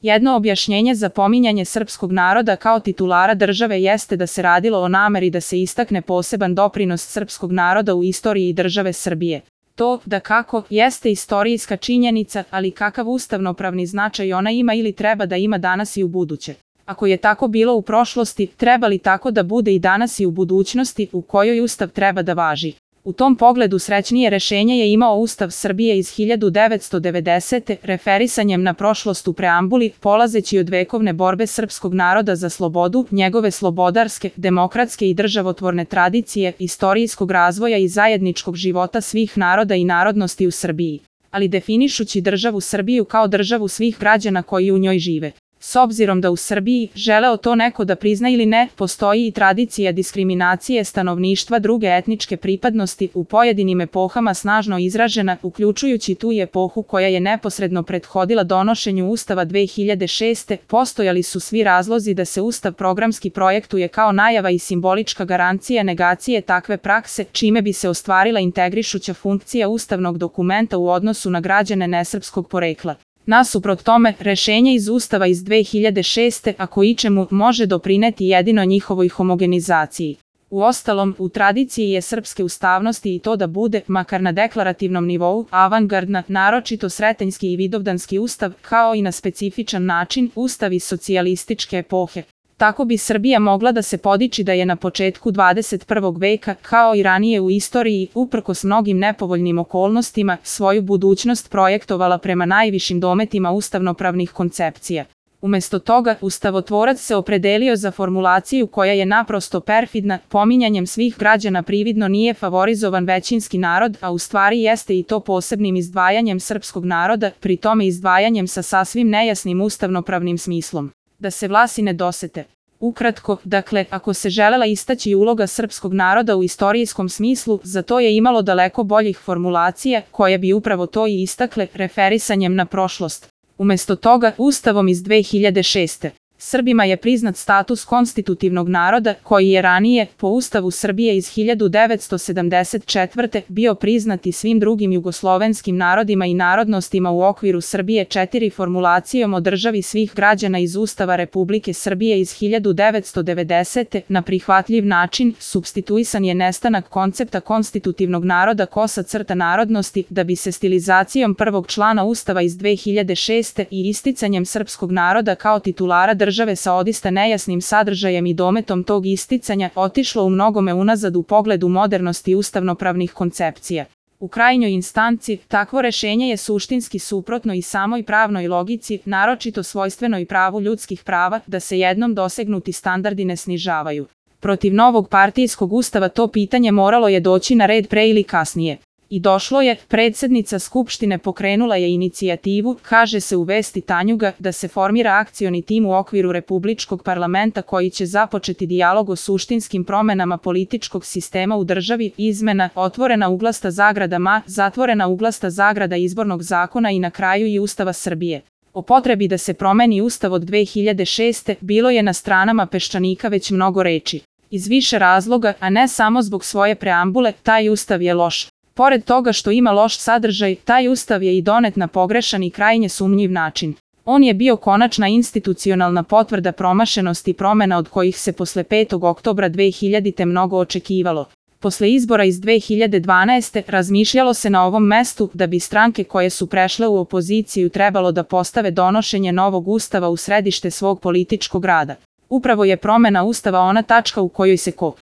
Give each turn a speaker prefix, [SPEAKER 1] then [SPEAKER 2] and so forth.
[SPEAKER 1] Jedno objašnjenje za pominjanje srpskog naroda kao titulara države jeste da se radilo o nameri da se istakne poseban doprinos srpskog naroda u istoriji države Srbije. To, dakako, jeste istorijska činjenica, ali kakav ustavnopravni značaj ona ima ili treba da ima danas i u buduće. Ako je tako bilo u prošlosti, treba li tako da bude i danas i u budućnosti u kojoj Ustav treba da važi? U tom pogledu srećnije rešenje je imao Ustav Srbije iz 1990. referisanjem na prošlost u preambuli, polazeći od vekovne borbe srpskog naroda za slobodu, njegove slobodarske, demokratske i državotvorne tradicije, istorijskog razvoja i zajedničkog života svih naroda i narodnosti u Srbiji, ali definišući državu Srbiju kao državu svih građana koji u njoj žive. S obzirom da u Srbiji, želeo to neko da prizna ili ne, postoji i tradicija diskriminacije stanovništva druge etničke pripadnosti u pojedinim epohama snažno izražena, uključujući tu i epohu koja je neposredno prethodila donošenju Ustava 2006. Postojali su svi razlozi da se Ustav programski projektuje kao najava i simbolička garancija negacije takve prakse, čime bi se ostvarila integrišuća funkcija ustavnog dokumenta u odnosu na građane nesrpskog porekla. Nasuprot tome, rešenje iz Ustava iz 2006. ako ičemu može doprineti jedino njihovoj homogenizaciji. Uostalom, u tradiciji je srpske ustavnosti i to da bude, makar na deklarativnom nivou, avangardna, naročito sretenjski i vidovdanski ustav, kao i na specifičan način, ustav iz socijalističke epohe. Tako bi Srbija mogla da se podiči da je na početku 21. veka, kao i ranije u istoriji, uprkos mnogim nepovoljnim okolnostima, svoju budućnost projektovala prema najvišim dometima ustavnopravnih koncepcija. Umesto toga, ustavotvorac se opredelio za formulaciju koja je naprosto perfidna, pominjanjem svih građana prividno nije favorizovan većinski narod, a u stvari jeste i to posebnim izdvajanjem srpskog naroda, pri tome izdvajanjem sa sasvim nejasnim ustavnopravnim smislom. Da se Vlasi ne dosete. Ukratko, dakle, ako se želela istaći uloga srpskog naroda u istorijskom smislu, za to je imalo daleko boljih formulacija, koje bi upravo to i istakle referisanjem na prošlost. Umesto toga, Ustavom iz 2006. Srbima je priznat status konstitutivnog naroda, koji je ranije, po Ustavu Srbije iz 1974. bio priznat i svim drugim jugoslovenskim narodima i narodnostima u okviru Srbije 4 formulacijom o državi svih građana iz Ustava Republike Srbije iz 1990. Na prihvatljiv način, supstituisan je nestanak koncepta konstitutivnog naroda _narodnosti, da bi se stilizacijom prvog člana Ustava iz 2006. i isticanjem srpskog naroda kao titulara države sa odista nejasnim sadržajem i dometom tog isticanja otišlo u mnogome unazad u pogledu modernosti ustavnopravnih koncepcija. U krajnjoj instanci, takvo rešenje je suštinski suprotno i samoj pravnoj logici, naročito svojstvenoj pravu ljudskih prava, da se jednom dosegnuti standardi ne snižavaju. Protiv novog partijskog ustava to pitanje moralo je doći na red pre ili kasnije. I došlo je, predsednica Skupštine pokrenula je inicijativu, kaže se u vesti Tanjuga, da se formira akcioni tim u okviru Republičkog parlamenta koji će započeti dijalog o suštinskim promenama političkog sistema u državi, izmena, otvorena uglasta zagrada zatvorena uglasta zagrada izbornog zakona i na kraju i Ustava Srbije. O potrebi da se promeni Ustav od 2006. bilo je na stranama peščanika već mnogo reči. Iz više razloga, a ne samo zbog svoje preambule, taj Ustav je loš. Pored toga što ima loš sadržaj, taj Ustav je i donet na pogrešan i krajnje sumnjiv način. On je bio konačna institucionalna potvrda promašenosti promena od kojih se posle 5. oktobra 2000. mnogo očekivalo. Posle izbora iz 2012. razmišljalo se na ovom mestu da bi stranke koje su prešle u opoziciju trebalo da postave donošenje novog Ustava u središte svog političkog rada. Upravo je promena Ustava ona tačka u kojoj se